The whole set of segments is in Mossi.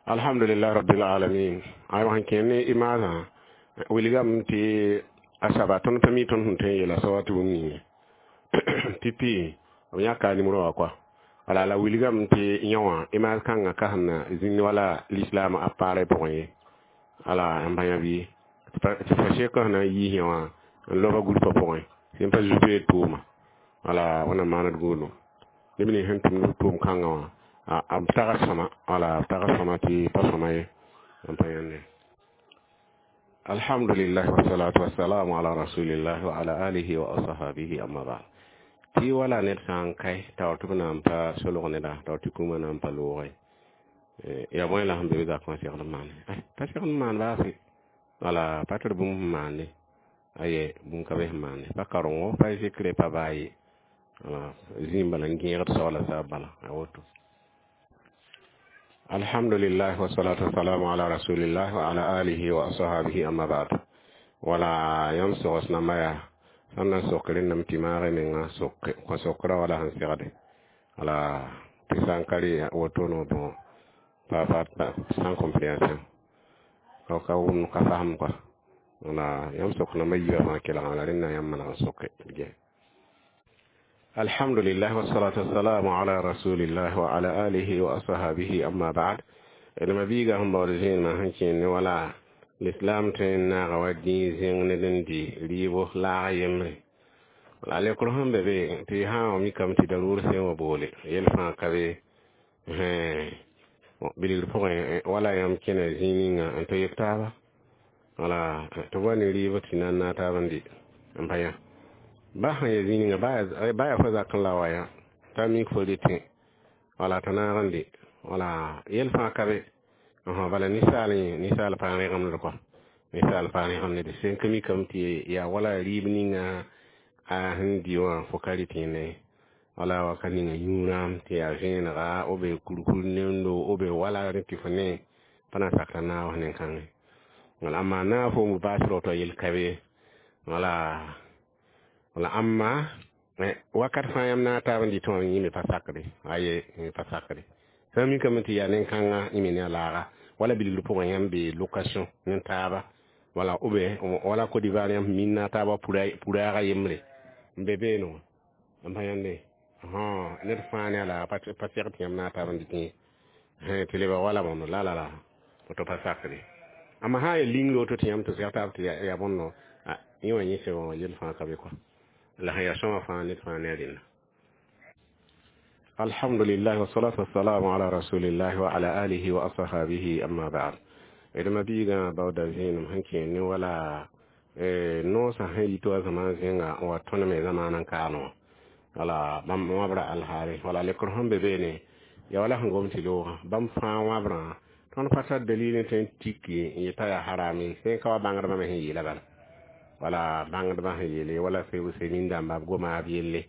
Alhamdulillah rabbil alamin. Aywa, sẽn kẽer ne y maasã wilgame tɩ a saba tõnd pa mi tõnd sẽn tõe n yeela soaba tɩ bũmb ninge pipi b yãka a nimrã wã kɔa. Wala la wilgame tɩ yõ wã image kãngã ka sẽn na zĩnd wala l'islam a paarã pʋgẽ ye. Wala n bãya bɩ tɩ fa sek sẽn na n yiis yõ wã n loba groupa pʋgẽ sẽn pa zu tʋʋma. Wala wẽnnaam maand gũudum neb nins sẽn tʋmd b tʋʋm kãngã wã b tags sõma. Wala b tags sõma tɩ pa sõma ye n pa yãnde. Alhamdulillah, wasalatu wasalamu ala rasulillah wa ala alihi wa ashabihi, amma ba'd. Tɩ wala ned sã n kae taoor tɩ b na n pa solg neda taoor tɩ kũumã na n pa loogẽ ya bõe la sẽn be b zakẽ wã segd n maane pa segd n maan baase. Wala pa tɩ d bũmb sẽn maande aye bũmb ka be sẽn maande pa karengo, pa zikre, pa baa ye. Wala zĩig bala n gẽegd saoola saab bala a woto. Alhamdulillah, wasalatu wasalamu ala rasulillah wa ala alihi wa ashabihi, amma ba'd. Wala yãmb sogs namba yaa sãn na n sok rẽndame tɩ maag menga kõ sokra wala sẽn segde. Wala tɩ sã n ka rɩ woto no, bon, pa pa sans compréhension, ka wʋm ka fasem kɔa. Wala yãmb sok namba yiibã fãa kelgame la rẽnda yãmb maneg n soke ge. Alhamdulillah, wasalatu wassalamu ala rasulillah wa ala alihi wa ashabihi, amma ba'd. Nema biiga sẽn baood zẽenema sẽn kẽer ne wala l'islam tõe n naaga wa dĩig zẽng ned n dɩ rɩɩbo laag yembre. Wala lekr sẽn be be tɩ sã n mikame tɩ daruur sẽn wa boole yel fãa ka be bilgr pʋgẽ. Wala yãmb kẽna zĩig ninga n tɩ yek taaba wala tɩ b wa ne rɩɩb tɩ na n naag taab n dɩ n pa yã ba sẽn ya zĩig ninga ba yaa fo zakẽ la wa yã t'a mik fo rɩtẽ wala t'a naag n dɩ. Wala yel fãa ka be. Bala ninsaal yẽ ninsaal pa rẽgemd kɔa, ninsaal pa rẽgemd sẽn ka mikame tɩ yaa wala rɩɩb ninga a sẽn dɩ wã fo ka rɩt yẽne. Wala waka ninga yũurãam tɩ yaa vẽenega b be kurkur nendo b be wala rẽ tɩ fo ne pa na sakra naoos nen-kãngẽ. Wala amma naag fo n baas raoto yel ka be. Wala wala amma wakat fãa yãmb naag taab n dɩ tɩ wã yẽ me pa sakre aye yẽ pa sakre. Sã n mikame tɩ yaa nen-kãngã yẽ me ne a laaga wala bilgr pʋgẽ yãmb be location ne taaba wala ou bien wala Côte d'Ivoire yãmb min na taaba puraaga yembre n be beene wã n pa yãnde ned fãa ne a laaga pa segd tɩ yãmb naag taab n dɩ tɩ tɩ lebg wala bõndo la la la woto pa sakre. Amma sã n yaa lingr woto tɩ yãmb tɩ segd taab tɩ yaa bõndo yẽ wã yẽ sẽn wã yel fãa ka be kɔa la sẽn yaa sõma fãa ned fãa ne a rẽnda. Alhamdulillah, wasalatu wassalamu ala rasulillah wa ala alihi wa ashabihi, amma ba'd. D mabiigã baooda zẽenem sẽn kẽer ne wala noosã sẽn yit wa zãma zẽnga n wa tõnd me zamaana n kaane wã. Wala bãmb wãbra alhaale wala lekr sẽn be beene ya wala sẽn gom tɩ loogã bãmb fãa wãbrã tõnd pa tar dalil n tõe n tiki n yeta yaa harame sẽn ka wa bãngdbã me sẽn yeela bala. Wala bãngdbã sẽn yeele wala semin dãmba b goma b yelle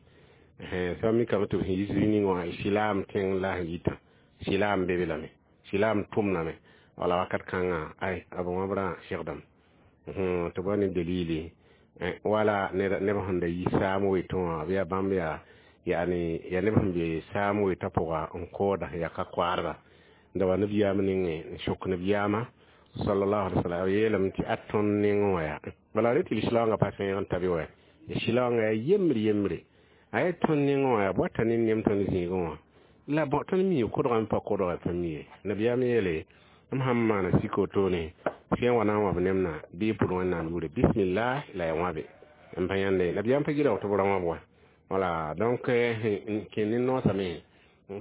sã mikame tɩ b sẽn yi zĩig ning wã silaam tẽng la sẽn yitã silaam be be lame silaam tʋmdame. Wala wakat kãngã ay b wãbrã segdame tɩ b wa ne dalili wala neb sẽn da yi saam wetẽ wã bɩ yaa bãmb yaa yani ya neb sẽn be saam wetã pʋga n kooda ya ka koaadba n da wa nabiyaam nengẽ n sok nabiyaamã sallallahu alaihi wasallam yeelame tɩ a tõnd nengẽ wã yaa bala rẽ tɩ lislaoongã pa sẽeg n ta be wa silaoongã yaa yembre yembre a yaa tõnd nengẽ wã yaa bɔta ne nem tõnd zĩigẽ wã la tõnd mi kodgame pa kodga pa mi ye. Nabiyaam yeele m sãn maana sik wotone sẽn wa na n wãb nemna bɩ pʋd Wẽnnaam yʋʋre bismillah la ya wãbe n pa yãnde nabiyaam pa gɩrg tɩ b ra wãb wa. Wala donc kẽ ne noosame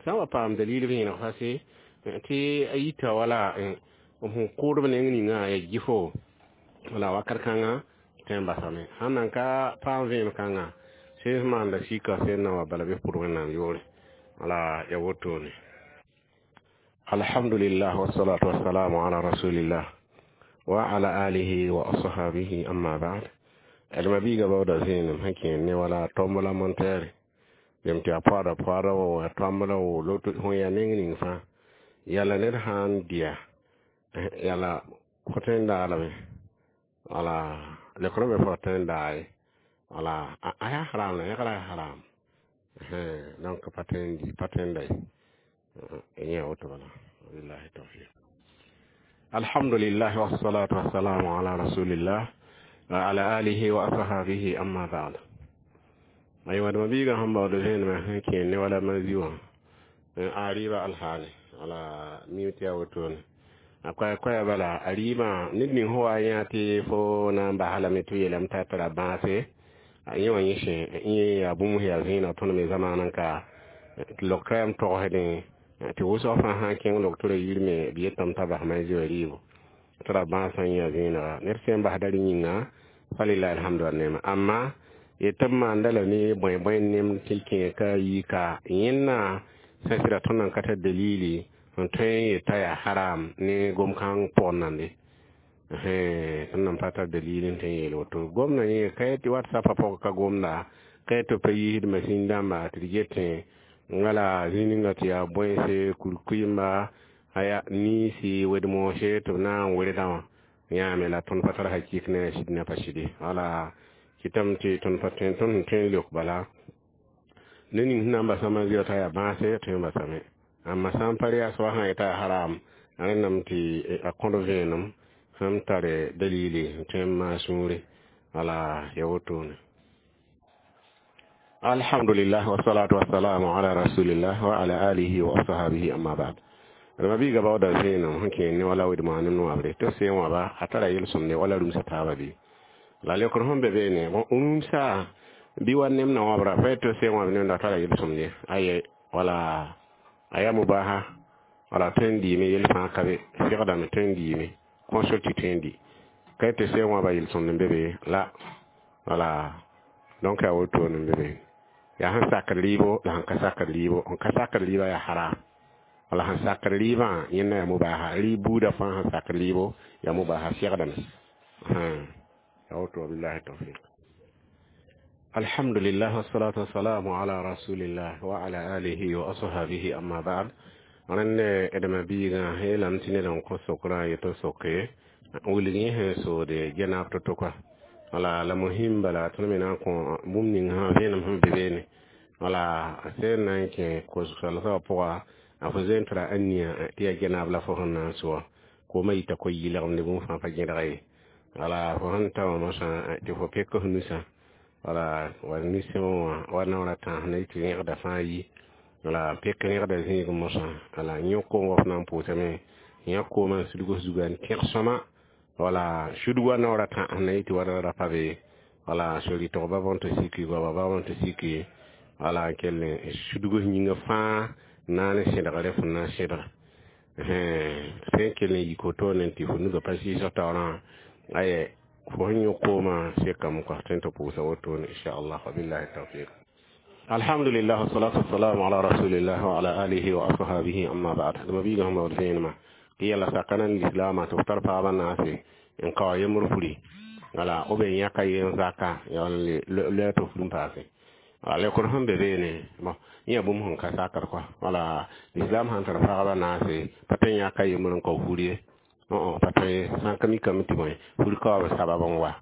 sã n wa paam dalil vẽeneg fase tɩ a yita wala sẽn kʋʋdb neng ninga ya gɩfo. Wala wakat kãngã tõe n basame sãn nan ka paam vẽem kãngã sẽn maanda sika sẽn na wa bala bɩ pʋd Wẽnnaam yʋʋre. Wala ya wotone. Alhamdulillah, wasalatu wassalamu ala rasulillah wa ala alihi wa ashabihi, amma ba'd. D mabiiga baooda zẽenem sẽn kẽer ne wala tomb la montɛɛre yem tɩ a poada poada wa tomb la wo loto sẽn yaa neng ning fãa yala ned sã n dɩya yala fo tõe n daalame wala lekr me fo tõe n daa ye wala a yaa haram la yẽgra yaa haram. Donc pa tõe n di pa tõe n da ye yẽ woto bala. Wabillahi tawfiq. Alhamdulillah wassalatu wassalamu ala rasulillah wa ala alihi wa ashabihi, amma ba'd. Aywa, dama biiga sẽn baood vẽenemã sẽn kẽ ne wala mazi wã a rɩɩbã alhaale wala miime tɩ yaa wotone a koɛɛ koɛɛ bala a rɩɩbã ned ning sẽn wa yã tɩ fo na n basa lame tɩ b yeelame t'a tara bãase a yẽ wã yẽ sẽ yẽ yaa bũmb sẽn yaa zẽeneg tõnd me zamaanã ka loktra yam togsdẽ tɩ wʋsg fãa sã n kẽng loktrã yir me b yetame t'a bas mazi wã rɩɩbo tɩ ra bãasã yã zẽenega ned sẽn basda rẽ yĩnga falilahi alhamdu wa nema amma yetɩ b maanda la ne bõe bõe nem tɩ kẽ ka yi ka yẽnna sã sɩda tõnd nan ka tar dalili n tõe n yeta yaa haram ne gom-kãng pʋgẽ nande tõnd nan pa tar dalil n tõe n yeel woto gomdã yẽ ka tɩ whatsappã pʋgẽ ka gomda ka tɩ pa yiisd masin dãmba tɩ d getẽ wala zĩ ninga tɩ yaa bõense kurkuimba aya niisi wed-moose tɩ b na n werdã wã yãame la tõnd pa tar hakik ne a sɩd ne pa sɩde wala kɩtame tɩ tõnd pa tõe tõnd sẽn tõe n leok bala ne ning sẽn na n basã maziã t'a yaa bãase tõe n basame amma sã n pa yaa soaba sã n yeta yaa haram a rẽndame tɩ a kõd vẽenem sẽn tare dalili n tõe n maa sũure wala ya wotone. Alhamdulillah wassalatu wassalamu ala rasulillah wa ala alihi wa ashabihi, amma ba'd. Rama biiga baooda vẽenem sẽn kẽ ne wala wed-moa nem noabre tɩ sẽn wãba a tara yel-sõmde wala rũmsa taaba bɩ la leokr sẽn be beene rũmsa bɩ wa nem na wãbra pa tɩ sẽn wãb nemda tara yel-sõmde aye wala a yaa mubaha wala tõe n diime yel fãa ka be segdame tõe n diime consulte tõe n di ka tɩ sẽn wãba yel-sõmd n be be la wala donc yaa wotone n be be yaa sẽn sakd rɩɩbo la sẽn ka sakd rɩɩbo n ka sakd rɩɩbã yaa haram wala sẽn sakd rɩɩbã yẽnna yaa mubaha rɩɩb buudã fãa sẽn sakd rɩɩbo yaa mubaha segdame yaa woto billahi tawfiq. Alhamdulillah wassalatu wassalamu ala rasulillah wa ala alihi wa ashabihi, amma ba'd. Rẽnd dma biigã yeelame tɩ ned n kõ sokrã yetɩ soke wilg yẽ sẽn soode genaab to-to koa wala la muhim bala tõnd me na n kõ bũmb ning sã vẽenem sẽn be beene wala a sẽn na n kẽ kos-salsã wã pʋga a fo zoe n tara a nia tɩ yaa genaab la fo sẽn na n sʋa koomã yita ko-yɩɩlegmde bũmb fãa pa gẽdga ye wala fo sẽn ta wã mosã tɩ fo pek f nusã wala wa nusẽ wã wa naoora tãas na tɩ rẽgda fãa yi wala pek rẽgda zĩig mosã wala yõ koom wa f na n pʋʋsame yã koomã n sudg f zuga n tẽg sõma wala sudg wa naoora tãs na yɩ tɩ wa ra pa be wala sori-tog ba bõn tɩ siki goaba ba bõn tɩ siki wala n kell sudg f yĩngã fãa na ne sẽdgre fo na n sẽdg sẽn kell n yik wotone tɩ fo nugã pa sɩɩsg taoorã aye fo sẽn yõ koomã sekame kɔa tõe n tɩ pʋʋsa wotone inchallah wabillahi tawfiq. Alhamdulillah wassalatu wassalamu ala rasulillah wa ala alihi wa ashabihi, amma ba'd. Dama biiga sẽn baood vẽenemã tɩ yɛla sakana n lislaamã tɩ f tar paabã naase n kao yembr furi wala b yãka yen zaka ya loɛ tɩ fur n paase wala lekr sẽn be beene bon yẽ yaa bũmb sẽn ka sakr kɔa wala lislaam sãn tar pagba naase pa tõe n yãka yembr n kao fur ye pa tõe sã n ka mikame tɩ bõe fur kaoab sabab n wa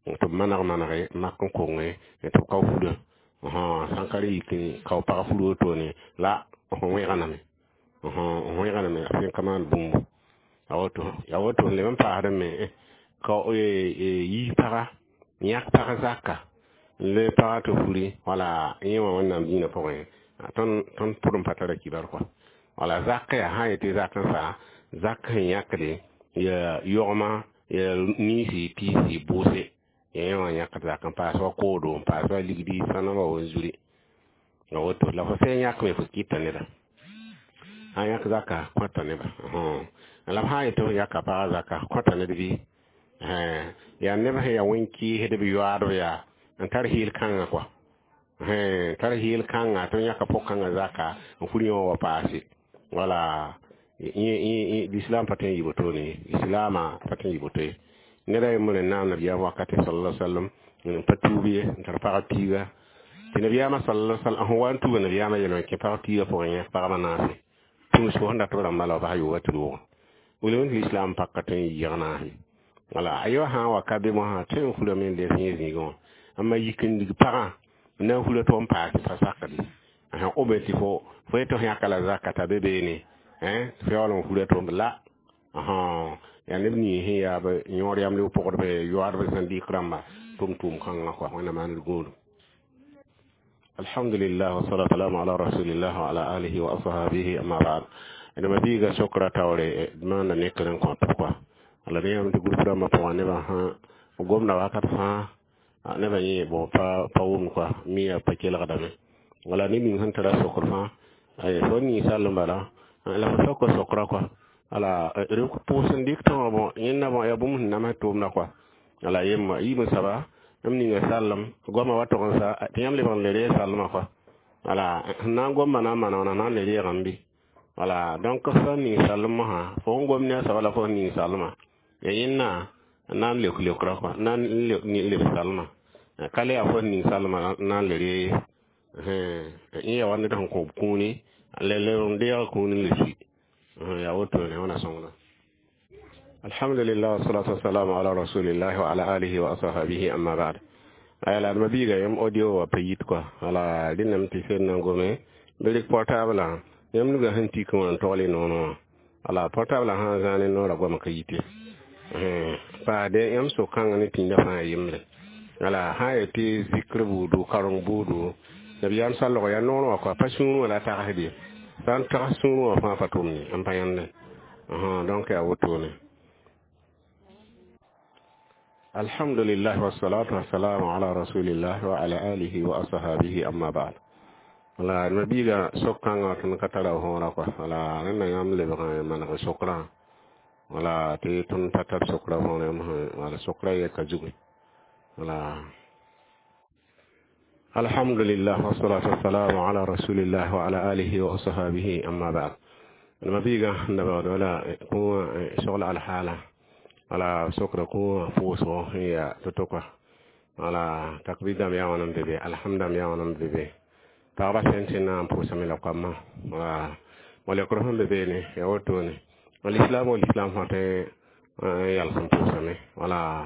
tɩ b maneg manege mak n konge tɩ b kao furã sã n ka rẽ yik n kao pag fur wotone la f wẽgename f wẽgename a sẽn ka maan bũmbu ya woto ya woto leb n paasd me ka yiis paga yãk pag zaka n le paga tɩ furi wala yẽ wã wẽnnaam dĩinã pʋgẽ tõnd pʋd n pa tara kibar kɔa wala zak yaa sã n yetɩ zak n saa zak sẽn yãkde ya yogma ya niisi piisi bʋʋse ya yẽ wã yãkd zak n paas wa koodo n paas wa ligdi sãnamba wa zuri ya woto la fo sẽn yãkme fo kɩta neda sã yãk zaka kõta neba la b sã n yetɩ f yaka paga zaka kõta ned bɩ yaa neb sẽn yaa wẽn-kɩɩsd b yoaadb yaa n tar heel kãngã kɔa tar heel kãngã tɩ yãka pʋg-kãngã zaka n fur yẽ wã wa paase wala l'islam pa tõe n yɩ wotone islaamã pa tõe n yɩ woto ye ned a yembr n naam nabiyaam wakate sallallahu sallam n pa tuub ye n tar pag piiga tɩ nabiyaamã sallallahu sallam sẽn wa n tuuga nabiyaamã yelme kẽ pag piiga pʋgẽ yẽk pagba naase tũus fo sẽn dat b rãmba la b bas yooga tɩ roogã wilg tɩ l'islam paka tõe n yɩɩg naase wala a yõ sã n wa ka be mosã tõe n furame n les yẽ zĩigẽ wã amma yik n lig pagã n na n fura tɩ n paase pa sakde b tɩ fo fo yetɩ f yãka la zaka t'a be beene fo yaool n fura tɩ la Yaa neb nins sẽn yaa b yõod yamlg pʋgdbã yoaadb zãndɩk rãmba tʋm-tʋʋm kãngã kɔa. Wẽnnaam maan d gũudum. Alhamdulillah, wasalatu wassalamu ala rasulillah wa ala alihi wa ashabihi, amma ba'd. D mabiiga sokra taoore maanda nekr n kõt kɔa. La ne yãmb tɩ group rãmbã pʋgã nebã sã gomda wakat fãa, nebã yẽ bõ pa wʋm kɔa, mi yaa pa kelgdame. Wala ned ning sẽn tara sokr fãa, fo ning sall n bala la fo sok sokra kɔa. Ala rɩk pʋʋs n dɩk tɩ wã bõ yẽnda bõ yaa bũmb sẽn namsd tʋʋmda kɔa. Ala yemma yiib n saba m ninga sallem goamã wa tog n sa tɩ yãmb lebg n le reeg sallmã kɔa. Wala sẽn na n gomma na n maana wãna na n le reegame bɩ. Wala donc sã n ning sallem mosã, fo sẽn gom ne a soaba la fo sẽn ning sallmã ya yẽnna n na n leok leokra kɔa, n na n leb sallmã ka le yaa fo sẽn ning sallmã na n le reeg ye. Yẽ yaa wa ned sẽn kõb kũuni le n deeg kũuni n le sui. Yaa wotone, wẽna sõngda. Alhamdulillah, wassalatu wassalamu ala rasulillah wa ala alihi wa ashabihi, amma ba'd. Aya la d mabiiga yãmb audio wa pa yit kɔa. Wala rẽndame tɩ sed na n gome bɩ rɩk portable yãmb nuga sẽn tik wã n togl y noor wã. Wala portable sã n zãa ne noorã goamã ka yite paade yãmb sok-kãngã ne tĩndã fãa yembre. Wala sã n yaa tɩ zikr buudu, kareng buudu, nabiyaam sallg yaa noor wã kɔa, pa sũur wã la tagsd ye. Sã n tags sũur wã fãa pa tʋm ye, n pa yãnde. Donc yaa wotone. Alhamdulillah, wassalatu wassalamu ala rasulillah wa ala alihi wa ashabihi, amma ba'd. Wala d mabiiga sok-kãngã tõnd ka tara võora kɔa. Wala rẽnda yãmb lebg n maneg sokrã, wala tɩ tõnd pa tar sokra võor yãmb sẽn. Wala sokra yɛka zugu. Wala alhamdulillah, wassalatu wassalamu ala rasulillah wa ala alihi wa ashabihi, amma ba'd. D mabiiga n da baood wala kõ sogl alhaala. Wala sokra kõ pʋʋsgo sẽn yaa to-to kɔa. Wala takbir dãmb yaa wãn n be be, alhamdãmb yaa wãn n be be, pagba sẽn tɩ na n pʋʋsame la koamã. Wala leokr sẽn be beene yaa wotone. Alislam wa lislam fãa tõe n yals n pʋʋsame. Wala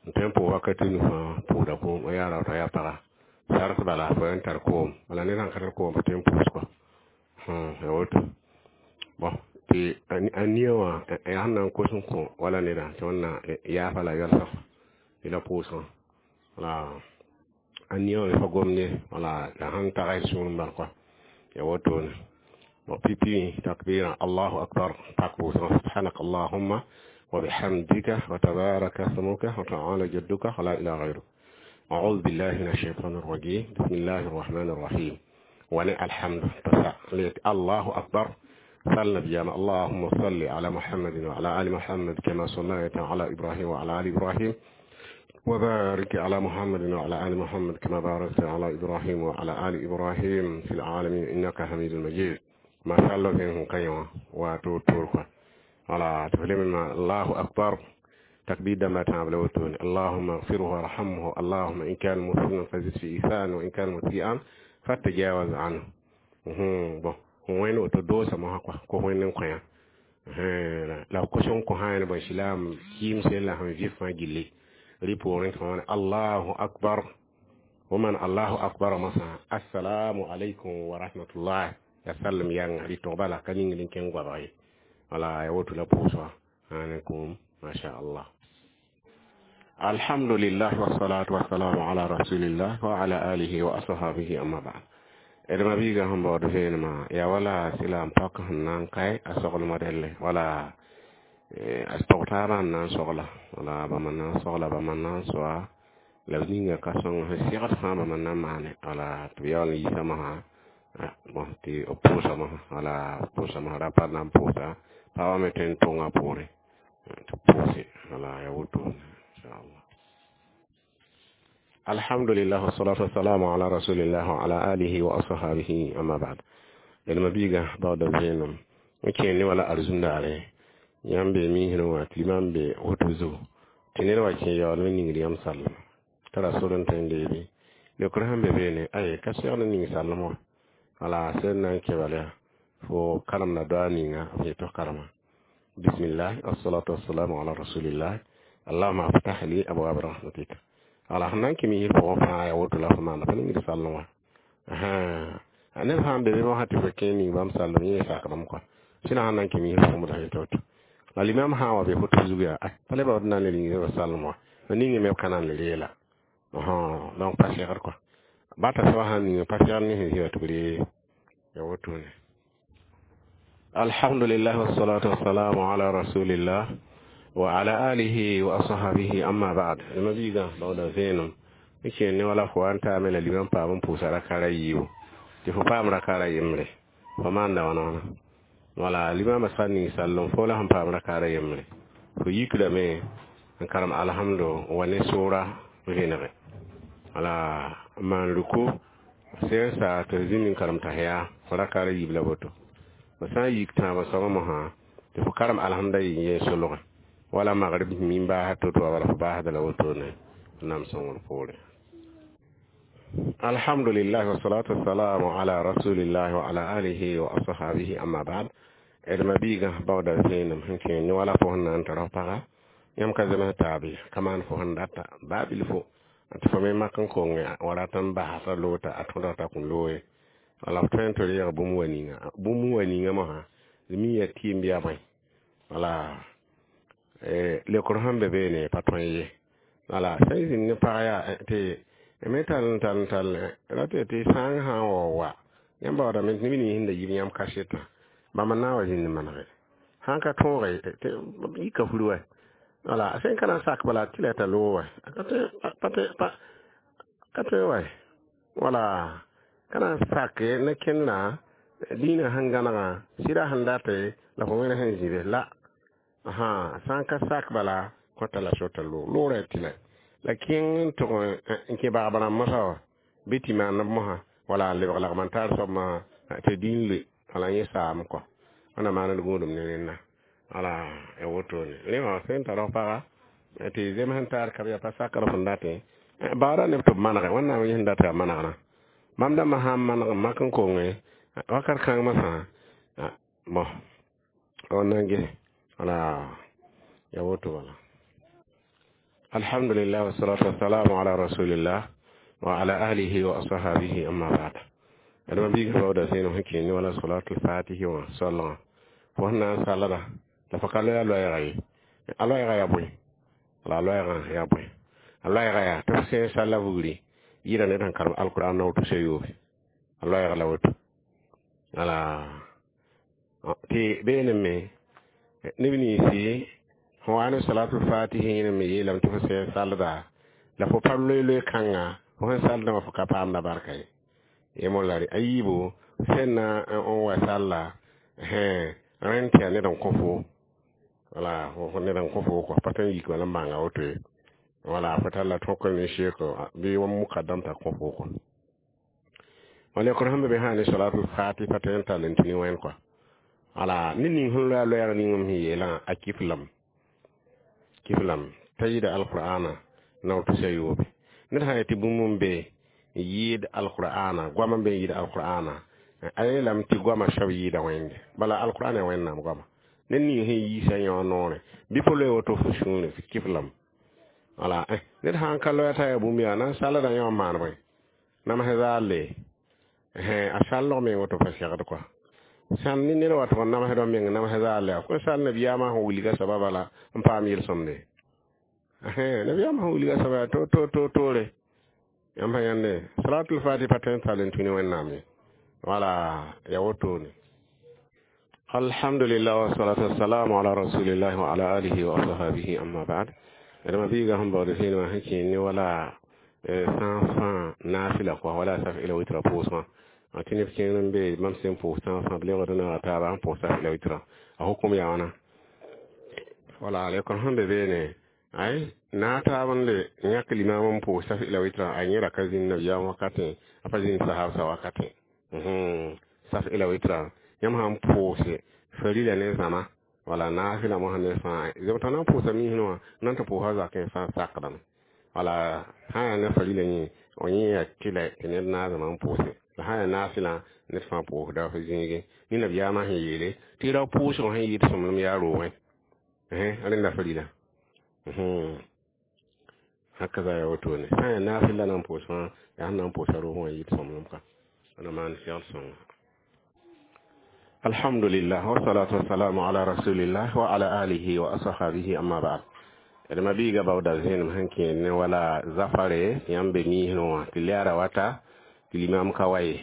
n tõe n pʋʋs wakat nu fãa pʋʋda koom, yaa raota yaa paga sart bala fo n tar koom. Wala ned sãn ka tar koom pa tõe n pʋʋs kɔa, yaa woto. Bɔn tɩ a nia wã yaa sẽn na n kos n kõ wala nedã tɩ wẽnna yaafa la yalsg tɩ la pʋʋsgã. Wala a nia wã fa gomde, wala la sãn tag sũur n bal kɔa, yaa wotone. Bon, pipi takbira, Allahu akbar, pak pʋʋsgã, subhanaka allahumma wa bihamdika wa tabaraka smuka wa ta'ala jadduka wa la ilaha ghayruk. أعوذ بالله من الشيطان الرجيم، بسم الله الرحمن الرحيم. ونع الحمد تسع الله أكبر صلى بيام اللهم صل على محمد وعلى آل محمد كما صليت على إبراهيم وعلى آل إبراهيم، وبارك على محمد وعلى آل محمد كما باركت على إبراهيم وعلى آل إبراهيم في العالمين إنك حميد مجيد. ما شاء الله فيهم قيمة وتوتورك على تفلم. الله أكبر، تكبير ما تعملون. اللهم اغفره وارحمه، اللهم إن كان مسلما فزد في إيثان، وإن كان مسيئا فتجاوز عنه. Bon, wẽnd woto doosame sã kɔ wẽnd n kõ la kos n kõ sã bõe silaam kɩɩmse la sẽn vɩ fãa gilli rɩ poorẽ tɩ wãna Allahu akbar. Woman Allahu akbar masã, assalamu alaikum wa rahmatullah, ya sallam yãnga rɩ tog bala ka ning n kẽng goabg ye. Wala ya woto la pʋʋsga ãnekum, masha Allah. Alhamdulillah, wassalatu wassalamu ala rasulillah wa ala alihi wa ashabihi, amma ba'd. D mabiiga sẽn baood vẽenemã yaa wala sɩla n pak sẽn na n kae a soglmã delle, wala a tog taabã n na n sogla, wala bãmb n na n sogla, bãmb n na n soa la b ninga ka sõng sẽn segd fãa bãmb n na n maane. Wala tɩ b yaool n yiisa mosã, bõn tɩ b pʋʋsa mosã, wala pʋʋsa mosã rapa na n pʋʋsa pagba me tõe n tʋnga poorẽ tɩ b pʋʋse. Wala yaa woto, inchallah. Alhamdulillah, wassalatu wassalamu ala rasulillah wa ala alihi wa ashabihi, amma ba'd. D mabiiga baooda vẽenem n kẽer ne wala arzũndaare yãmb be miisrẽ wã tɩ limam be woto zugu tɩ ned wa kẽ yaool me ningd yãmb sallem tara sor n tõe n deebe leokr sẽn be beene ay ka segd n ning sallem wã. Wala sẽn na n kẽ bala yaa fo karemda doa ninga f yetɩ f karema bismillah, wassalatu wassalamu ala rasulillah, allahuma aftah li abwab rahmatik. Wala sẽn na n kẽ misr pʋgẽ fãa yaa woto la fo maanda pa ningd sallem wã. Neb sã n be be mosã tɩ fo kẽ ning bãmb sallem yẽ sakdame kɔa sẽna sẽn na n kẽ misr pʋgẽ la yetɩ woto. La limam sã n wa be foto zug yaa pa le baood na n le yĩngr b salem wã b ningẽ me b ka na n le reela donc pa segd kɔa bata soaba sãn ning pa segd ne sẽn zĩ wa tɩ b ree ya wotone. Alhamdulillah, wassalatu wassalamu ala rasulillah wa ala alihi wa ashabihi, amma ba'd. Ma biiga baooda vẽenem n kẽer ne wala fo wa n taame la limam paam n pʋʋsa rakara yiibu tɩ fo paam rakara yembre fo maanda wãna wãna wala limama sã n ning sallem fo la sẽn paam rakara yembre fo yikrame n karem alhamdo wa ne soora vẽnege wala n maan ruku sẽn sa tɩ zĩnd n karem tahiya fo rakara yiib la woto fo sã n yik tãabã soabã mosã tɩ fo karem alhamda yɩ yẽ solge wala magrib min baasd to-to wa bala fo baasda la wotone nam sõngr poore. Alhamdulillah, wassalatu wassalamu ala rasulillah wa ala alihi wa ashabihi, amma ba'd. D mabiigã baooda vẽenem sẽn kẽer ne wala fo sẽn na n tara f paga yãmb ka zems taabe ka maan fo sẽn data baa bilfo tɩ fo me mak n konge wa rat n basa t'a loota a tõdg t'a kõn looye wala f tõe n tɩ reeg bũmb wa ninga bũmb wa ninga mosã d mi yaa tɩɩmb yaa bõe wala lekr sẽn be beene pa tõe ye wala sẽn zĩnd ne pag yaa tɩ me tall n tall n tall ra tɩ tɩ sãang sã n wa wa yãmb baoodame tɩ neb nins sẽn da yib yãmb kasetã bãmb n na n wa zĩnd manege sãn ka tõoge yika fur wa wala sẽn ka na n sak bala tɩ la t'a loog wa ka tõe wa wala ka na n sake ne kẽndã dĩinã sẽn gãnegã sɩda sẽn date la fo wẽne sẽn zĩbe la sã n ka sak bala kõta la sota loog loogrã tɩ la kẽng n tʋg n kẽ bagb rãmb mosã wa bɩ tɩ maaneb mosã wala n lebg lagm n tar soab mosã tɩ dĩin loe wala yẽ saam kɔ wẽnna maand gũudum ne rẽnna wala ya wotone rẽ wã sẽn tar f paga tɩ zems n taar ka yaa pa sakr fõn datẽ baoodã neb tɩ b manege wẽnnaam yẽ sẽn dat yaa manegrã mam dãmbã sã n maneg n mak n konge wakat kãng masã bõ on na n ges wala ya woto wala. Alhamdulillah, wassalatu wassalamu ala rasulillah wa ala alihi wa ashabihi, amma ba'd. Adama biiga baooda sẽenem sẽn kẽer ne wala salatul fatihi wã soalgã fo sẽn na n salda la fo ka loe a loɛɛga ye a loɛɛga yaa bõe wala a loɛɛgã yaa bõe a loɛɛga yaa tɩ f sẽn salla vugri yɩɩda ned sẽn karem alquran na woto sã-yoobe a loɛɛg la woto wala tɩ beenem me neb ninsi fõ wa ne salatul fatihi yẽne me yeelame tɩ fo sẽn salda la fo pa loe-loe kãnga fo sẽn saldã wã fo ka paamda barka ye yẽ la a yiibu sẽn na n wa salla rẽnd tɩ yaa ned n kõ fo wala fo ned n kõ fo kɔ pa tõe n yik wala n bãnga woto ye wala fo talla tõk ne sheeko bɩ wa mukadam t'a kõ fo kɔ wala lekr sẽn be be sã ne salatul fati pa tõe n tall n tũ ne wẽnd kɔ wala ned ning sẽn loe a loɛɛg ning m sẽn yeelã a kiflame kiflam t'a yɩɩda alqur'ana nao tusa yoobe ned sã n yetɩ bũmb n be n yɩɩd alqur'ana goam n be n yɩɩd alqur'ana a yeelame tɩ goamã soab yɩɩda wẽnde bala alqur'ana yaa wẽnnaam goama ned ning sẽn yiisa yõ noorẽ bɩ fo loe woto fo sũure f kiflame wala ned sã n ka loa t'a yaa bũmb yaa na n salda yõ n maan bõe namsẽ zaalle a sallg meng woto pa segd kɔa sãn ne ned wa tʋg n namsd wã meng namsẽ zaalle yaa kõn sall nabiyaamã sẽn wilga soaba bala n paam yel-sõmde nabiyaamã sẽn wilga soaba yaa to toore yãmb sã yãnde salatul fati pa tõe n tall n tũ ne wẽnnaam ye wala ya wotone. Alhamdulillah, wassalatu wassalamu ala rasulillah wa ala alihi wa ashabihi, amma ba'd. Adama biiga sẽn baood sẽn wã sẽn kẽer ne wala sã n fãa naafila kɔa wala saf ila witra pʋʋsgã tɩ neb kẽer n be mam sẽn pʋʋs sã n fãa b lebgd n naoora taaba n pʋʋs saf ila witra a hukum yaa wãna wala lekr sẽn be beene ay na taab n le yãk limam n pʋʋs saf ila witra a yẽ ra ka zĩnd nabiyaam wakatẽ a pa zĩnd sahabsã wakatẽ saf ila witra yãmb sãn pʋʋse farila ne zãma wala naafila mosã ne fãa zem t'a na n pʋʋsa miisẽ wã na n tɩ pʋʋsa zakẽ fãa sakdame wala sã n yaa ne farila yẽ o yẽ yaa tɩlɛ tɩ ned naag zãma n pʋʋse la sã n yaa naafɩlã ned fãa pʋʋsda f zĩige ne nabiyaamã sẽn yeele tɩ ra pʋʋsg sẽn yɩɩd sõmblem yaa roogẽ rẽnda farila hakaza yaa wotone sã n yaa naafɩl la na n pʋʋs fãa yaa sẽn na n pʋʋsa roogẽ wã yɩɩd sõmblem ka wãna maan segl sõnga. Alhamdulillah, wassalatu wassalamu ala rasulillah wa ala alihi wa ashabihi, amma ba'd. D mabiiga baooda zẽenem sẽn kẽed ne wala zafare yãmb be miisẽ wã tɩ lɛɛra wata tɩ limam ka wa ye,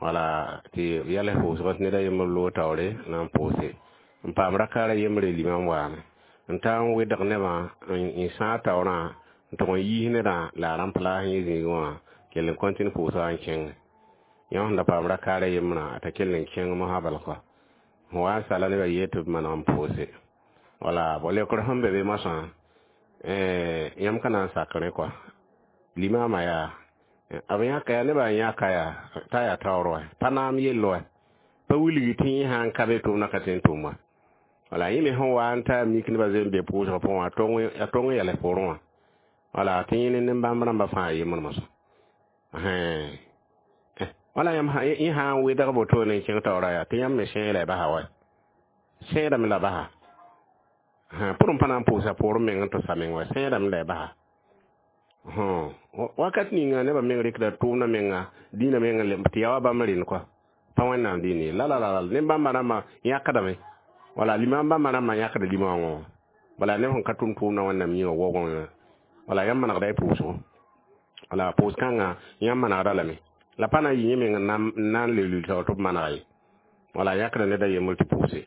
wala tɩ yɛls pʋʋsgẽ tɩ ned a yembr loog taoore na n pʋʋse n paam rakaara yembre. Limam waame n ta n wedg nebã n sãag taoorã n tʋg n yiis nedã la a rãmp la sẽn yẽ zĩigẽ wã kell n kõtɩn pʋʋsga n kẽng. Yã sẽn da paam rakaara yembrã, a t'a kell n kẽng mosã bal kɔa sẽn wa n sala nebã yee tɩ b maneg n pʋʋse. Wala bõ leokr sẽn be be moasã, yãmb ka na n sak rẽ kɔa limama yaa b yãka yaa nebã n yãka yaa t'a yaa taoor wa pa naam yell wa pa wilgi tɩ yẽ sã n ka be tʋʋmdã ka tõe n tʋm wa. Wala yẽ me sẽn wa n ta mik nebã zoe n be pʋʋsgã pʋgẽ wã, a tong n yɛls pʋrẽ wã. Wala tɩ yẽ ne nin-bãmb rãmbã fãa yembr mosã. Wala yãmb yẽ sã n wedg wotone n kẽng taoora yaa tɩ yãmb me sẽe la y basa wa sẽedame la basa pʋrẽ pa na n pʋʋsa poorẽ meng n tɩ sa meng wa sẽedame la y basa. Wakat ninga nebã meng rɩkda tʋʋmdã menga dĩinã meng tɩ yaa wa bãmb rẽnd kɔa pa Wẽnnaam dĩin ye la la la nin-bãmbã rãmbã yãkdame. Wala limam bãmbã rãmbã yãkda limãongõ. Wala neb sẽn ka tʋm tʋʋmdã Wẽnnaam yĩnga waoogẽ. Wala yãmb manegda y pʋʋsgo. Wala pʋʋs kãngã yãmb manegda lame la pa na n yɩ yẽ meng n na n le lul taoor tɩ b manega ye. Wala yãkda ned a yembr tɩ pʋʋse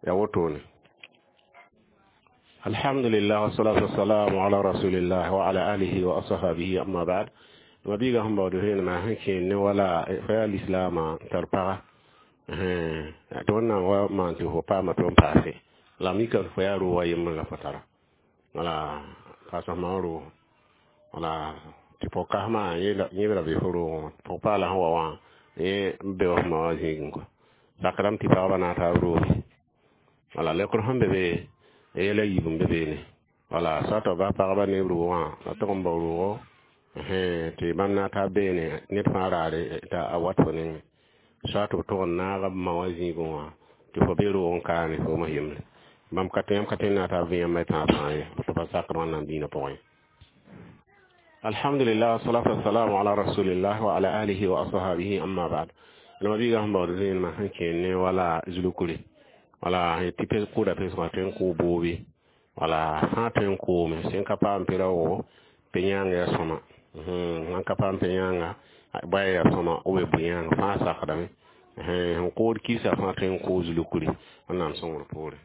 yaa wotone. Alhamdulillah, wassalatu wassalamu ala rasulillah wa ala alihi wa ashabihi, amma ba'd. Mabiiga sẽn baood vẽenemã sẽn kẽed ne wala fa yaa lislaamã tar paga tɩ Wẽnnaam wa maan tɩ fo paama tɩ n paase la mika fo yaa roog a yembr la fo tara. Wala kaasãmã roog wala tɩ pʋg-kãsmã yẽbra be fo roogẽ pʋg-paala sẽn wa wã yẽ n be wa fo ma wã zĩigẽ kɔ sakdame tɩ pagba na n taab rooge. Wala leokr sẽn be be yɛla yiib n be beene. Wala soa tɩ b bas pagba ne b roogã la tʋg n bao roogo tɩ bãmb na n taa beene ned fãa raare t'a a wat fo nengẽ soa tɩ b tʋg n naag b ma wã zĩigẽ wã tɩ fo be roog n kaane fo mos yembre bãmb ka tõe yãmb ka tõe n na n taa vẽ yãmb y tãag fãa ye tɩ pa sakd Wẽnnaam dĩinã pʋgẽ. Alhamdulillah, wassalatu wassalamu ala rasulillah wa ala alihi wa ashabihi, amma ba'd. La mabiiga sẽn baood vẽenemã sẽn kẽed ne wala zulukre. Wala tɩ kʋʋda pesgã tõe n kʋʋ boobe. Wala sã n tõe n koome sẽn ka paam pe-raoogo pe yãang yaa sõma sãn ka paam pe yãanga baya yaa sõma b bʋ yãang fãa sakdame sẽn kood kɩɩsa fãa tõe n kʋʋ zulukre Wẽnnaam sõngr poore.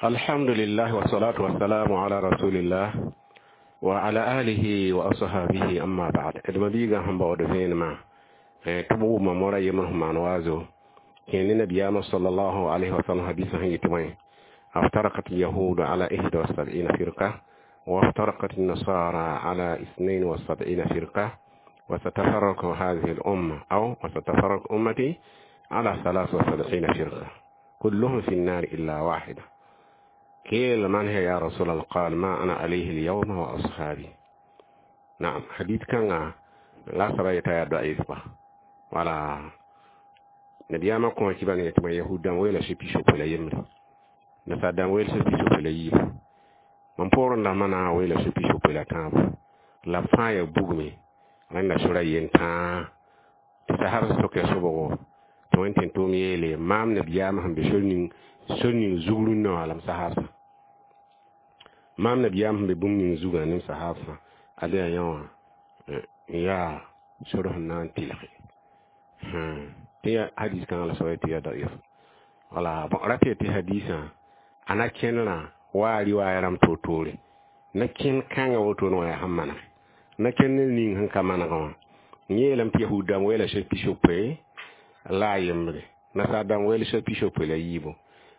Alhamdulillah, wassalatu wassalamu ala rasulillah wa ala alihi wa ashabihi, amma ba'd. D mabiiga sẽn baood vẽenemã tɩ b wʋma mora yembr sẽn maan waazo kẽe ne nabiyaamã sallallahu alayhi wa sallam hadisa sẽn yetɩ bõe: افترقت اليهود على 71 فرقة، وافترقت النصارى على 72 فرقة، وستفرق هذه الأمة أو وستفرق أمتي على 73 فرقة، كلهم في النار إلا واحدة. قيل: من هي يا رسول الله؟ قال: ما أنا عليه اليوم وأصحابي. نعم، حديث كان لا سبا ضعيف. ولا nabiyaamã kõ tɩ bãng tɩ yahud dãmb weela so pisopoe la yembre, nasaar dãmb weel so pisopoe la yiibu, mam poorẽ dãmbã na n weela so pisopoe la tãabo la b fãa ya bugme rẽnda sora yen tãa. Tɩ sasar soka sobgo tɩ Wẽnd tɩ tʋʋm yeele maam nabiyaamã sẽn be sor ning zug rũnnã wã la m sahaasã maam nabiyaam sẽn be bũmb ning zugã ne m sahaasã ad yaa yã wã n yaa sor sẽn na n tɩlge tɩ ya hadis kãngã la soaba tɩ ya daif. Wala bõ rata tɩ hadisã a na kẽnerã wa a riwaaya rãmb toor-toore na kẽn kãngã wotone wã yaa sẽn manege na kẽn ned ning sẽn ka manegã wã n yeelame tɩ yahud dãmb weela so pisopoe la a yembre, nasaar dãmb weel so pisopoe la yiibu,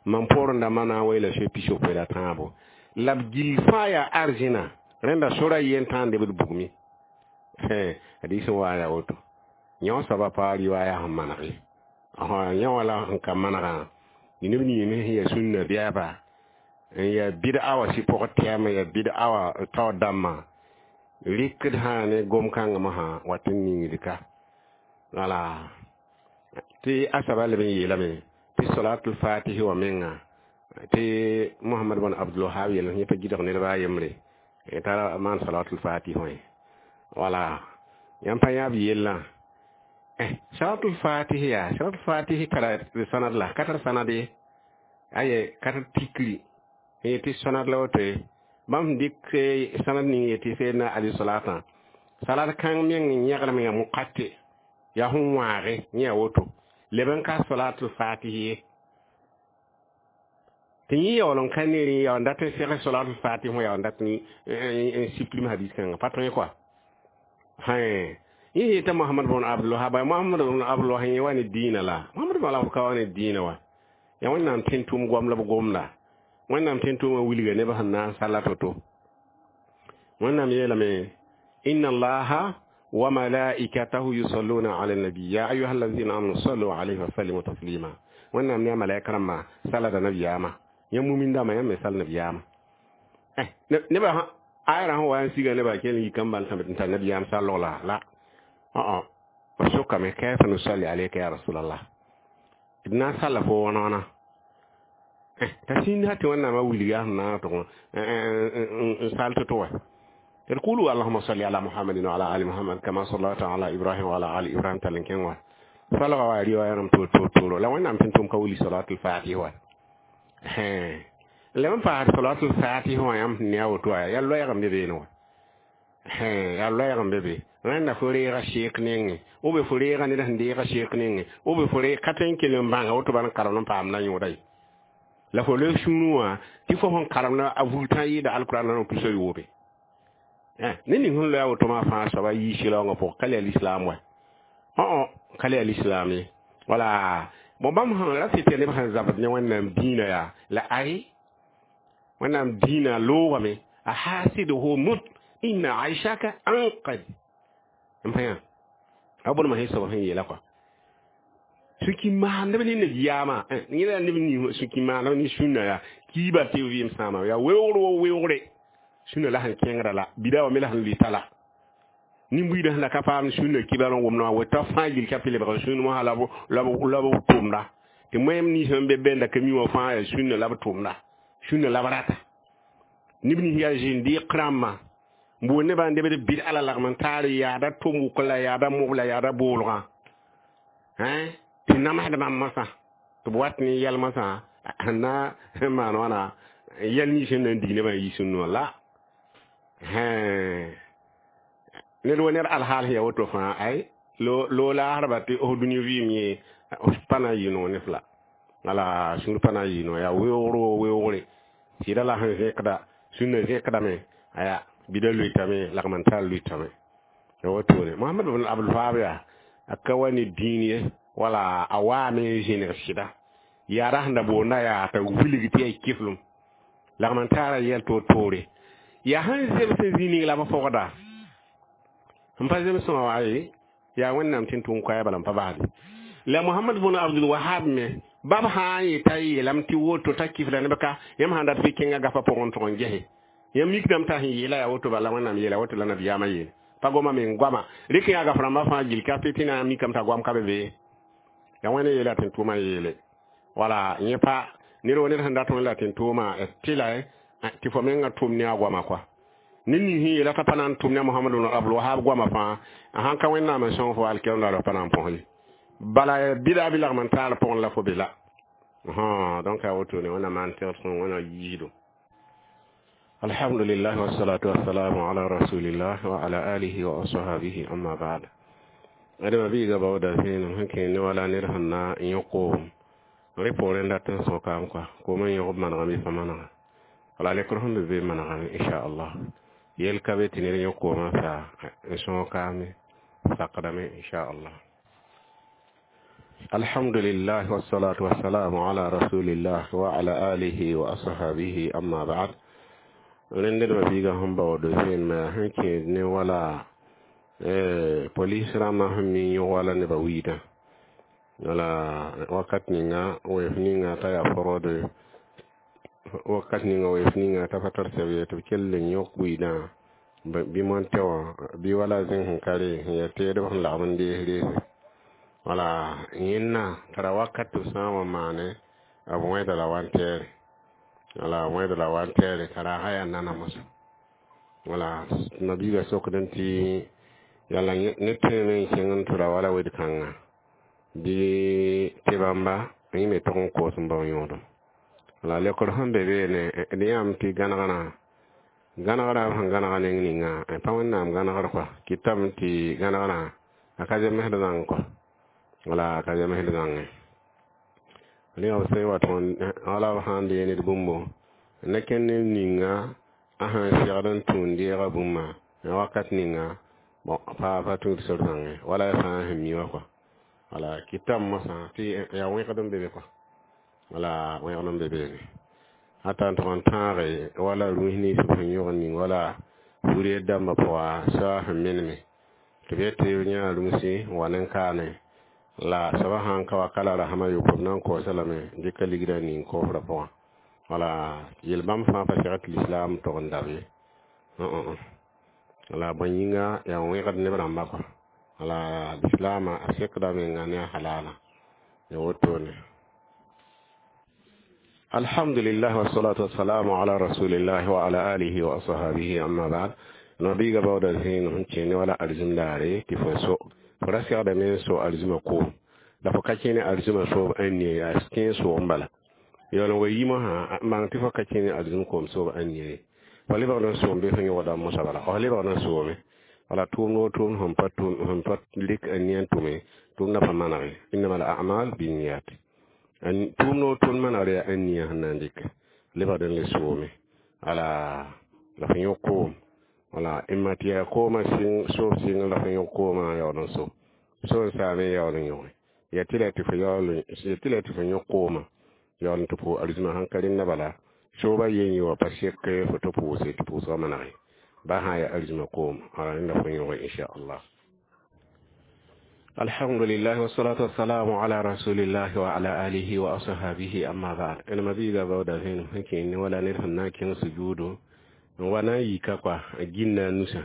mam poorẽ dãmbã na n weela so pisopoe la tãabo la b gill fãa yaa arzẽna rẽnda sora yen tãa n lebd bugme. Hadis n wa yaa woto yõ soaba pa riwaaya sẽn maneg ye yã wala sẽn ka manegã neb ning sẽn yaa sũnna bɛɛba n yaa bɩd-a wã sɩ pʋgẽ tɛɛmã yaa bɩd-a wã taoor dãmbã rɩkd sã ne gom-kãngã mosã wat n ningd ka. Wala tɩ a soaba leb n yeelame tɩ salatul fatihi wã menga tɩ Mohamad bn Abdulwahab yel yẽ pa gɩdg nedba a yembre t'a maan salatul fatihi wã. Wala yãmb pa yãab yellã. Salatul fatihi ya salatul fatihi tara sanad la ka tar sanad ye. Aye ka tar tikri n yetɩ sanad la woto ye. Bãmb sẽn dɩk sanad ning yetɩ seedna ali salatã salat kãng meng n yẽglem yaa muqate yaa sẽn wãage yẽ yaa woto leb n ka salatul fatihi ye. Tɩ yẽ yaool n ka neer yaa n dat n seg salatul fatihi wã yaa n dat n supprime hadis kãngã pa tõe kɔa. Yẽ yeta Mohamad bn Abdul Wahab, Mohamad bn Abdul Wahab yẽ wa ne diinã la Mohamad bn Abdul ka wa ne diinã wa yaa Wẽnnaam tẽn tʋʋm goam la b gomda. Wẽnnaam tẽn tʋʋmã wilga nebã sẽn na n salla to-to. Wẽnnaam yeelame inna allaha wa malaikatahu yusalluna ala nabi ya ayuha allazina amanu sallu alayhi wa sallimu taslima. Wẽnnaam ne a malaika rãmbã salada nabiyaamã yãmb mumin dãmbã yãmb me sal nabiyaamã. Nebã ayra sẽn wa n siga nebã kell n yik n bal n tar nabiyaam sallg la la b sokame kayfa nusalli alayka ya rasulallah d na n salla fo wãna-wãna t'a sĩnd tɩ Wẽnnaamã wilga sẽn na n tʋg n sal to-to wa. D kulu allahuma salli ala muhammadin wa ala ali muhammad kama sallayta ala ibrahim wa ala ali ibrahim tall n kẽng wa salga wa riwaya rãmb toor-toor la Wẽnnaam tẽn tʋm ka wilg salatul fatih wa. La n paas salatul fatih wã yãmb sẽn ne a woto wa yaa loɛɛg n be beene wa. Yaa loɛɛg n be be. Rẽnda fo reega sheek nengẽ ou be fo reega ned sẽn deega sheek nengẽ ou be fo reeg ka tõe n kell n bãnga woto bal n karemd n paam na yõoda ye. La fo loe sũurẽ wã tɩ fo sẽn karemda a vultã yɩɩda alkurãn na tusa yoobe. Ne ning sẽn loe a woto maa fãa soaba yii sɩlaoongã pʋgẽ ka le a lislaam wa. Ka le a lislaam ye. Wala bon bãmb sẽn ra tɩ neb sẽn zabd ne Wẽnnaam dĩinã yaa la ay Wẽnnaam dĩinã loogame a hasiduhu mut inna aishaka anqad n pa yã a bõnema sẽn soab sẽn yeela kɔa sũ-ki maandb ne nabiyaamã yẽ la neb ning sũ-ki maandb ne sũnna yaa kiiba tɩ vɩɩm sãama yaa weoogr wo weoogre sũnna la sẽn kẽngrã la bida wã me la sẽn lʋɩta la nin-buiidã sẽn la ka paam sũnna kibar n wʋmd wã weta fãa gill ka tɩ lebg sũn wã la b tʋmda tɩ moẽm nins sẽn be bẽnda ka mi wã fãa yaa sũnna la b tʋmda sũnna la b rata neb nins yaa zĩnd rãmbã n boond nebã n debd bɩd la lagm n taar yaada tʋm-wʋk la yaada mob la yaada boolgã tɩ namsd bãmb masã tɩ b wat ne yɛl masã sẽn na n maan wãna yɛl nins sẽn na n dig nebã n yi sũnn wã la ned wa ned alhaal sẽn yaa woto fãa ay loo laasdba tɩ f dũni vɩɩm yẽ pa na n yɩ noog ne f la wala sũur pa na n yɩ noog yaa weoogr wo weoogre sɩda la sẽn zẽkda sũnna zẽkdame aya bida lʋɩtame lagm n tar lʋɩtame ya wotone Mohamad bn Abdul Wahab yaa a ka wa ne dĩin ye wala a waame n zẽneg sɩda yaada sẽn da boonda yaa t'a wilg tɩ yaa kiflem lagm n taara yɛl toor-toore yaa sẽn zems n zĩ ning la b fogda n pa zemsẽ wã wa ye yaa Wẽnnaam tɩ n tʋm koɛɛ bala n pa basde la Mohamad bn Abdul Wahab me bab sã n yeta yeelame tɩ woto t'a kifla neb ka yãmb sãn dat fɩ kẽnga gafã pʋgẽ n tʋg n gese yãmb mikdame t'a sẽn yeela yaa woto bala Wẽnnaam yeela woto la nabiyaamã yeele pa goma me n goama rɩk yaa gaf rãmbã fãa gill ka tɩ na n mikame t'a goam ka be be yaa Wẽnd yeela tɩ n tʋʋmã yeele wala yẽ pa ned wa ned sẽn dat wẽn la tɩ n tʋʋma tɩ la tɩ fo mengã tʋm ne a goama kɔa ned ning sẽn yeela t'a pa na n tʋm ne a Mohamad bn Abdul Wahab goamã fãa a sãn ka Wẽnnaam n sõng fo alkiyaam la pa na n põs ye bala bɩda bɩ lagm n taar pʋgẽ la fo be la donc a wotone Wẽnnaam maan tẽgd sõng Wẽnnaam yiido. Alhamdulillah wassalatu wassalamu ala rasulillah wa ala alihi wa ashabihi amma ba'd. Adama biiga baooda zẽenem sẽn kẽer ne wala ned sẽn na n yõ koom rẽ poorẽ dat n sõkame kɔa koom n yõg b manegame fa manega wala lekr sẽn be be manegame inchallah yel ka be tɩ ned yõ koomã sa n sõokame sakdame inchallah. Alhamdulillah wassalatu wassalamu ala rasulillah wa ala alihi wa ashabihi amma ba'd. Rẽnd nedbã biigã sẽn baood zẽnemã sẽn kẽed ne wala polis rãmbã sẽn mi yõg wala nebã wiidã wala wakat ninga wɛf ninga t'a yaa fraude wakat ninga wɛf ninga t'a pa tar sɛb ye tɩ b kell n yõk wiidã bɩ montɛ wã bɩ wala zẽng sẽn ka re sẽn yaa teedb sẽn lagm n dees reese wala yẽnna tara wakat tɩ b sã n wa maane b wẽeda la wan-tɛɛre wala wẽeda la wan-tɛɛre t'a raasã yaa nana mosã wala nabiigã sokdẽ tɩ Yala ne tõeme n kẽng n tʋra wala wed-kãngã bɩ tɩ bãmba yẽ me tog n koos n bao yõodem. La lekr sẽn be beene d yãmb tɩ gãnegrã gãnegrã b sẽn gãnega neng ninga pa Wẽnnaam gãnegr kɔa kɩtame tɩ gãnegrã a ka zemsd zãng kɔa wala a ka zemsd zãngẽ ne b sẽn wa tʋg wala b sãn dee ned bũmbo ne kẽnd neb ninga a sẽn segd n tũud deega bũmba wakat ninga bon pa tũud sor zãngẽ wala ya fãa sẽn mi wã kɔa wala kɩtame mosã tɩ yaa wẽgd n be be kɔa wala wẽgd n be beene ata n tʋg n tãage wala rũs nins b sẽn yõgd ning wala wuri dãmbã pʋga soa sẽn meneme tɩ b yet tɩ b yãa rũsi n wa nen-kaane la soaba sãn ka wa ka la rasẽm a yopoe b na n koosã lame n dɩka ligrã ning koofrã pʋgã wala yel-bãmb fãa pa segd tɩ lislaam tog n dab ye wala bõe yĩnga yaa wẽgd neb rãmba kɔa wala lislaamã a sekda menga ne a halala ya wotone. Alhamdulillah, wassalatu wassalamu ala rasulillah wa ala alihi wa ashabihi, amma ba'd. Nabiga bawda zĩig sẽn kẽne wala arzim daare tɩ fo so fo ra segdame n so arzimã koom la fo ka kẽne arzimã soob ãn nie yaa kẽe soog n bala yaool n wa yi mosã n bãng tɩ fo ka kẽne arzim koom soob ãn nie ye fo lebgd n soom bɩ fo yõgda mosã bala fo lebgd n soome wala tʋʋmd wo tʋʋmd sẽn pa lik a nia n tʋme tʋʋmdã pa manege innama al amal binniyat tʋʋmd wo tʋʋmd manegd yaa ãn nia sẽn na n dɩk lebgd n le soome ala la fo yõ koom wala imma tɩ yaa koomã sɩng soob sɩng la fo yõ koomã yaool n so so n saame yaool n yõge ya tɩ la tɩ fo yaool tɩ la tɩ fo yõ koomã yaool n tɩ pʋʋs arzimã sãn ka rẽnda bala sooba yen yɩ wa pa sek fo tɩ pʋʋse tɩ pʋʋsgã manege ba sã yaa arzimã koom ala rẽnda fo yõge inchallah. Alhamdulillah, wassalatu wassalamu ala rasulillah wa ala alihi wa ashabihi, amma ba'd. Ẽn mabiiga baooda vẽenem sẽn kẽ ne wala ned sẽn na n kẽng sujuudo n wa na n yika kɔa a ginda a nusã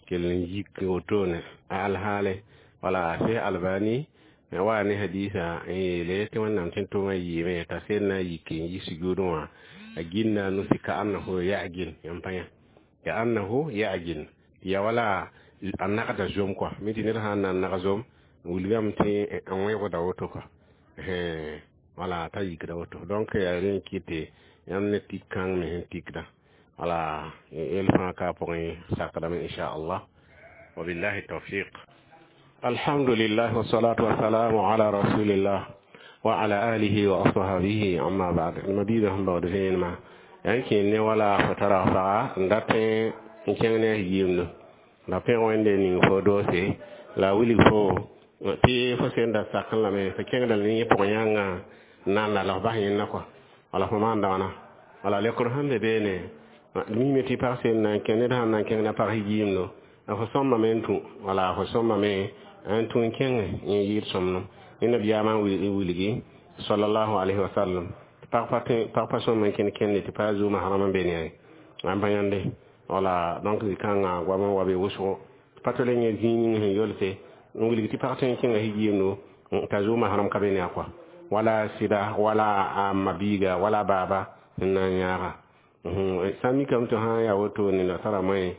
kell n yik wotone a alhaale wala a Seh Albani wa ne hadisa n yeele tɩ Wẽnnaam tẽn tʋʋmã yɩɩme t'a sel na n yik n yi sujuudẽ wã a ginda a nusi ka annahu yagin yãmb pa yã ka annahu yagin tɩ ya wala a nagda zom kɔa mi tɩ ned sã n na n nag zom wilgame tɩ n wẽgda woto kɔa wala t'a yikda woto donc yaa rẽ n kɩte yãmb ne tik kãng me sẽn tikda wala yel fãa ka pʋgẽ sakdame inchallah wabillahi tawfiq. Alhamdulillah, wassalatu wassalamu ala rasulillah wa ala alihi wa ashabihi, amma ba'd. Mabiiga sẽn baood vẽenemã yaa n kẽer ne wala fo tara faga n dat n kẽng ne a yiimdo la pẽg Wẽnde ning fo doose la a wilg fo tɩ fo sẽn da sakẽ lame fo kẽngda ne yẽ pʋgẽ yãnga n na n la la f bas yẽnda kɔa wala fo maan dãgna wala lekr sẽn be beene mime tɩ pag sẽn na n kẽ ned sãn na n kẽng na pag yiimdo fo sõmbame n tũ wala fo sõmbame n tũ n kẽng n yɩɩd sõmdem ne nabiyaamã n wilgi sallallahu alayhi wa sallam pag pa sõm n kẽnd kẽnde tɩ pa zuuma harama n be ne n pa yãnde wala donc zĩ-kãngã goam n wa be wʋsgo pa tole yẽ zĩig ning sẽn yolse n wilg tɩ pag tõe n kẽnga yiimdo t'a zuuma haram ka be ne a kɔa wala sɩda wala a mabiiga wala baaba n na n yãaga sã n mikame tɩ sã n yaa wotone la tara moẽ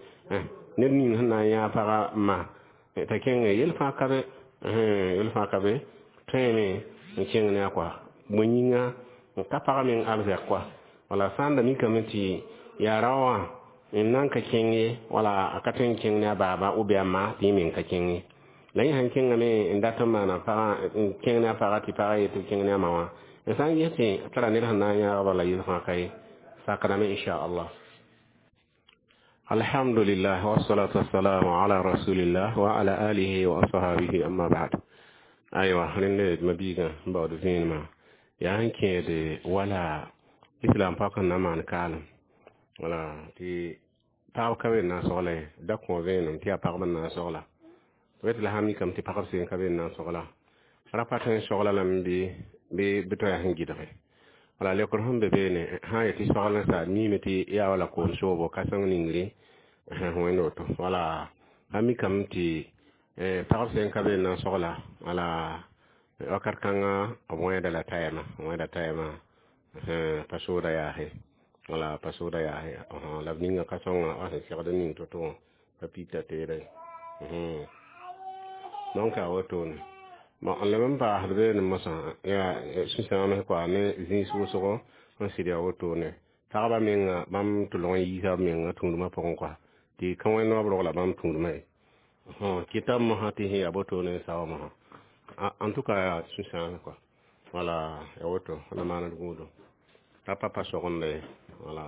ned ning sẽn na n yãag pagã ma t'a kẽnge yel fãa ka be yel fãa ka be tõeme n kẽng ne a kɔa bõe yĩnga n ka pag meng arzɛk kɔa wala sã n da mikame tɩ yaa rao wã n nan ka kẽng ye wala a ka tõe n kẽng ne a baaba ou bien a ma tɩ yẽ meng ka kẽng ye la yẽ sãn kẽngame n dat n maana pagã n kẽng ne a pagã tɩ pagã yetɩ kẽng ne a ma wã n sã n ges tɩ tara ned sẽn na n yãag bala yel fãa ka ye sakdame inchallah. Alhamdulillah, wassalatu wassalamu ala rasulillah wa ala alihi wa ashabihi, amma ba'd. Aywa rẽnd mabiigã n baood vẽenemã yaa sẽn kẽede wala islam pak n na maan kaalem wala tɩ pagb ka be n na n sogla ye da kõ vẽenem tɩ yaa pagb n na n sogla wet la sã mikame tɩ pagb sẽn ka be n na n sogla ra pa tõe n sogla lame bɩ bɩ tɩ yaa sẽn gɩdge wala lekr sẽn be beene sã n yetɩ sogl n sa miime tɩ yaa wala koom soobo ka-sõng ningre wẽnd woto wala a mikame tɩ pagb sẽn ka be n na n sogla wala wakat kãngã b wẽeda la tayɛmã wẽeda tayɛmã pa sooda yaase wala pa sooda yaase la b ninga ka-sõngã wa sẽn segd n ning to-to wã pa pita teedã. Donc a wotone bon n leb n paasd beene mosã yaa sũ-sãams koa ne zĩis wʋsgo n sɩd yaa wotone tagbã menga bãmb tʋlg n yiisa b menga tũudmã pʋgẽ koa tɩ ka wẽnd wã b rogla bãmb tũudmã ye kɩta mosã tɩ sẽn yaa botone n sao mosã. En tout cas, yaa sũ-sãams koa. Wala, ya woto na maand gũudum t'a pa pa sogende ye. Wala.